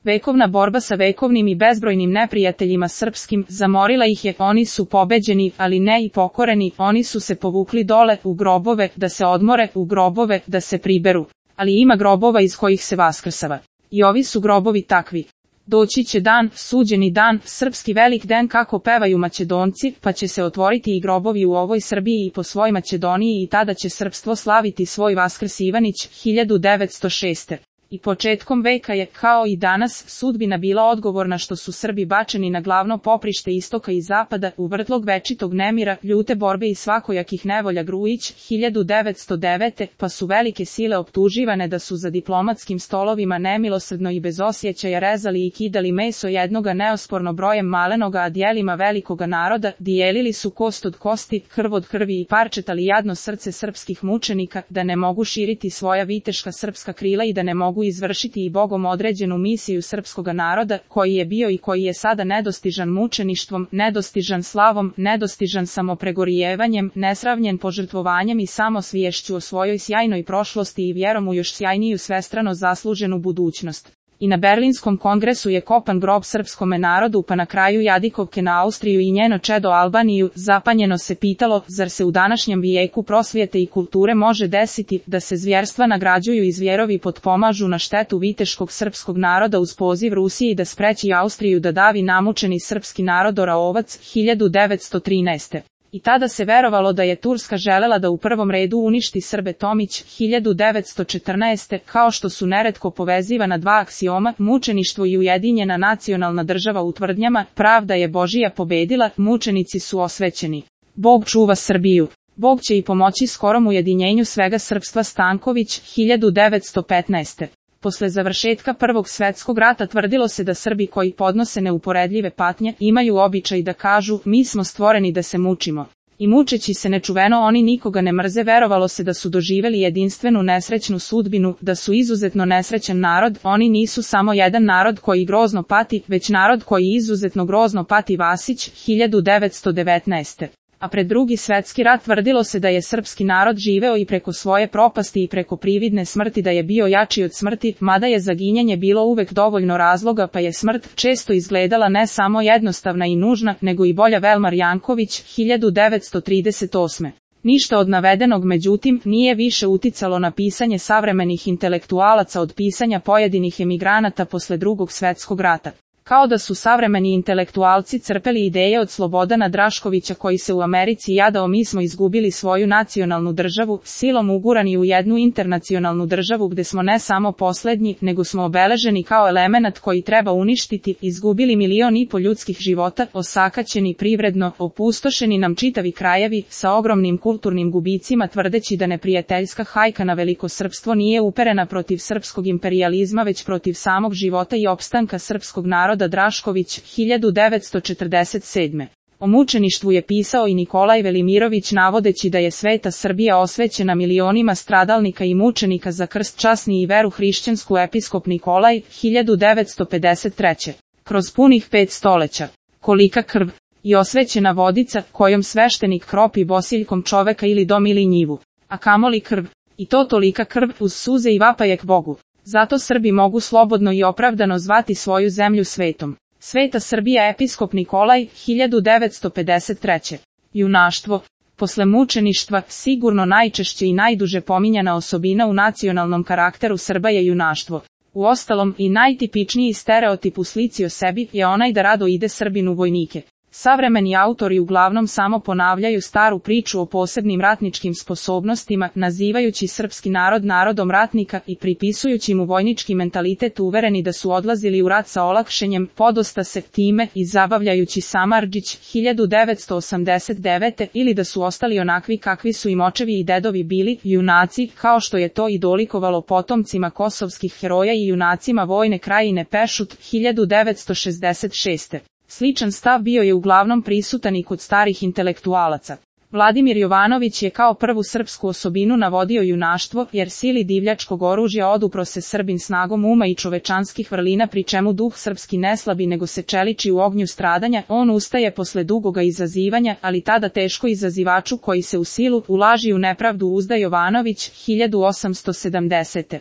Vekovna borba sa vekovnim i bezbrojnim neprijateljima srpskim, zamorila ih je, oni su pobeđeni, ali ne i pokoreni, oni su se povukli dole, u grobove, da se odmore, u grobove, da se priberu. Ali ima grobova iz kojih se vaskrsava. I ovi su grobovi takvi. Doći će dan, suđeni dan, srpski velik den kako pevaju Makedonci, pa će se otvoriti i grobovi u ovoj Srbiji i po svoj Makedoniji i tada će srpstvo slaviti svoj Vaskrs Ivanić, 1906. I početkom veka je, kao i danas, sudbina bila odgovorna što su Srbi bačeni na glavno poprište istoka i zapada, u vrtlog večitog nemira, ljute borbe i svakojakih nevolja. Grujić, 1909. Pa su velike sile optuživane da su za diplomatskim stolovima nemilosrdno i bez osjećaja rezali i kidali meso jednoga neosporno brojem malenoga, a dijelima velikoga naroda, dijelili su kost od kosti, krv od krvi i parčetali jadno srce srpskih mučenika, da ne mogu širiti svoja viteška srpska krila i da ne mogu izvršiti i Bogom određenu misiju srpskoga naroda, koji je bio i koji je sada nedostižan mučeništvom, nedostižan slavom, nedostižan samopregorijevanjem, nesravnjen požrtvovanjem i samosviješću o svojoj sjajnoj prošlosti i vjerom u još sjajniju svestrano zasluženu budućnost. I na Berlinskom kongresu je kopan grob srpskome narodu, pa na kraju jadikovke na Austriju i njeno čedo Albaniju. Zapanjeno se pitalo, zar se u današnjem vijeku prosvjete i kulture može desiti da se zvjerstva nagrađuju i zvjerovi potpomažu na štetu viteškog srpskog naroda uz poziv Rusiji da spreči Austriju da davi namučeni srpski narod Oraovac, 1913. I tada se verovalo da je Turska želela da u prvom redu uništi Srbe. Tomić, 1914. Kao što su neretko povezivana dva aksioma, mučeništvo i ujedinjena nacionalna država u tvrdnjama, pravda je Božija pobedila, mučenici su osvećeni. Bog čuva Srbiju. Bog će i pomoći skorom ujedinjenju svega srpstva. Stanković, 1915. Posle završetka Prvog svjetskog rata tvrdilo se da Srbi koji podnose neuporedljive patnje imaju običaj da kažu, mi smo stvoreni da se mučimo. I mučeći se nečuveno oni nikoga ne mrze. Verovalo se da su doživjeli jedinstvenu nesrećnu sudbinu, da su izuzetno nesrećan narod. Oni nisu samo jedan narod koji grozno pati, već narod koji izuzetno grozno pati. Vasić, 1919. A pred Drugi svjetski rat tvrdilo se da je srpski narod živeo i preko svoje propasti i preko prividne smrti, da je bio jači od smrti, mada je za ginjanje bilo uvek dovoljno razloga, pa je smrt često izgledala ne samo jednostavna i nužna, nego i bolja. Velmar Janković, 1938. Ništa od navedenog međutim nije više uticalo na pisanje savremenih intelektualaca od pisanja pojedinih emigranata posle Drugog svjetskog rata. Kao da su savremeni intelektualci crpeli ideje od Slobodana Draškovića koji se u Americi jadao, mi smo izgubili svoju nacionalnu državu, silom ugurani u jednu internacionalnu državu gde smo ne samo poslednji, nego smo obeleženi kao elemenat koji treba uništiti, izgubili 1,5 miliona ljudskih života, osakaćeni privredno, opustošeni nam čitavi krajevi, sa ogromnim kulturnim gubicima, tvrdeći da neprijateljska hajka na velikosrpstvo nije uperena protiv srpskog imperijalizma već protiv samog života i opstanka srpskog naroda. Drašković, 1947. O mučeništvu je pisao i Nikolaj Velimirović navodeći da je sveta Srbija osvećena milionima stradalnika i mučenika za krst časni i veru hrišćansku. Episkop Nikolaj, 1953. Kroz punih 5 stoleća. Kolika krv i osvećena vodica kojom sveštenik kropi bosiljkom čoveka ili dom ili njivu. A kamoli krv. I to tolika krv uz suze i vapajek Bogu. Zato Srbi mogu slobodno i opravdano zvati svoju zemlju svetom. Sveta Srbija. Episkop Nikolaj, 1953. Junaštvo. Posle mučeništva, sigurno najčešće i najduže pominjana osobina u nacionalnom karakteru Srba je junaštvo. Uostalom, i najtipičniji stereotip u slici o sebi je onaj da rado ide Srbin u vojnike. Savremeni autori uglavnom samo ponavljaju staru priču o posebnim ratničkim sposobnostima, nazivajući srpski narod narodom ratnika i pripisujući mu vojnički mentalitet, uvereni da su odlazili u rat sa olakšenjem, podosta se time i zabavljajući Samardžić, 1989. ili da su ostali onakvi kakvi su im očevi i dedovi bili, junaci, kao što je to i dolikovalo potomcima kosovskih heroja i junacima vojne krajine Pešut, 1966. Sličan stav bio je uglavnom prisutan i kod starih intelektualaca. Vladimir Jovanović je kao prvu srpsku osobinu navodio junaštvo, jer sili divljačkog oružja odupro se Srbin snagom uma i čovečanskih vrlina, pri čemu duh srpski ne slabi nego se čeliči u ognju stradanja. On ustaje posle dugoga izazivanja, ali tada teško izazivaču koji se u silu, u laži i u nepravdu uzda. Jovanović, 1870.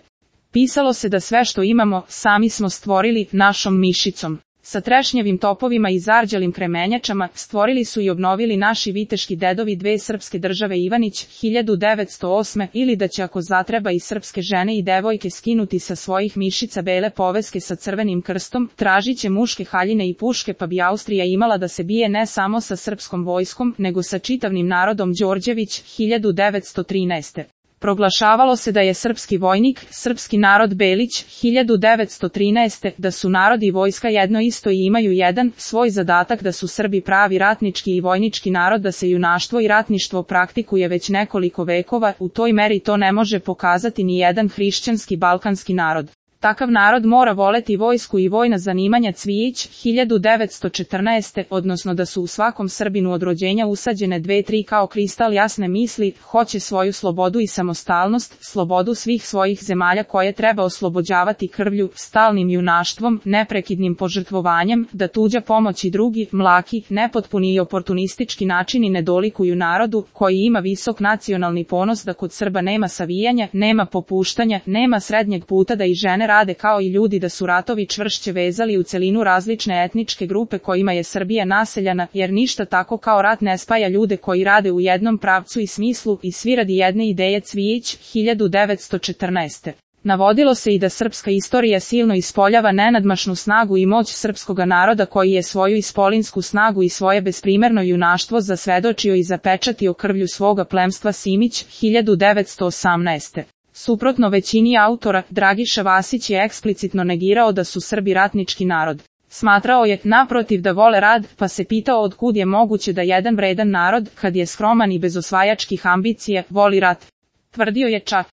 Pisalo se da sve što imamo, sami smo stvorili našom mišicom. Sa trešnjevim topovima i zarđalim kremenjačama stvorili su i obnovili naši viteški dedovi dve srpske države Ivanić 1908. ili da će ako zatreba i srpske žene i devojke skinuti sa svojih mišica bele poveske sa crvenim krstom, tražit će muške haljine i puške pa bi Austrija imala da se bije ne samo sa srpskom vojskom nego sa čitavnim narodom Đorđević 1913. Proglašavalo se da je srpski vojnik, srpski narod Belić, 1913. da su narod i vojska jedno isto i imaju jedan svoj zadatak, da su Srbi pravi ratnički i vojnički narod, da se junaštvo i ratništvo praktikuje već nekoliko vekova, u toj meri to ne može pokazati ni jedan hrišćanski balkanski narod. Takav narod mora voleti vojsku i vojna zanimanja. Cvijić, 1914. odnosno da su u svakom Srbinu od rođenja usađene 2-3 kao kristal jasne misli, hoće svoju slobodu i samostalnost, slobodu svih svojih zemalja koje treba oslobođavati krvlju, stalnim junaštvom, neprekidnim požrtvovanjem, da tuđa pomoć i drugi, mlaki, nepotpuni i oportunistički načini ne dolikuju narodu, koji ima visok nacionalni ponos, da kod Srba nema savijanja, nema popuštanja, nema srednjeg puta, da i žene rade kao i ljudi, da su ratovi čvršće vezali u celinu različne etničke grupe kojima je Srbija naseljana, jer ništa tako kao rat ne spaja ljude koji rade u jednom pravcu i smislu i svi radi jedne ideje. Cvijić, 1914. Navodilo se i da srpska istorija silno ispoljava nenadmašnu snagu i moć srpskoga naroda koji je svoju ispolinsku snagu i svoje besprimerno junaštvo zasvedočio i zapečatio krvlju svoga plemstva. Simić, 1918. Suprotno većini autora, Dragiša Vasić je eksplicitno negirao da su Srbi ratnički narod. Smatrao je, naprotiv, da vole rad, pa se pitao otkud je moguće da jedan vredan narod, kad je skroman i bez osvajačkih ambicija, voli rat. Tvrdio je čak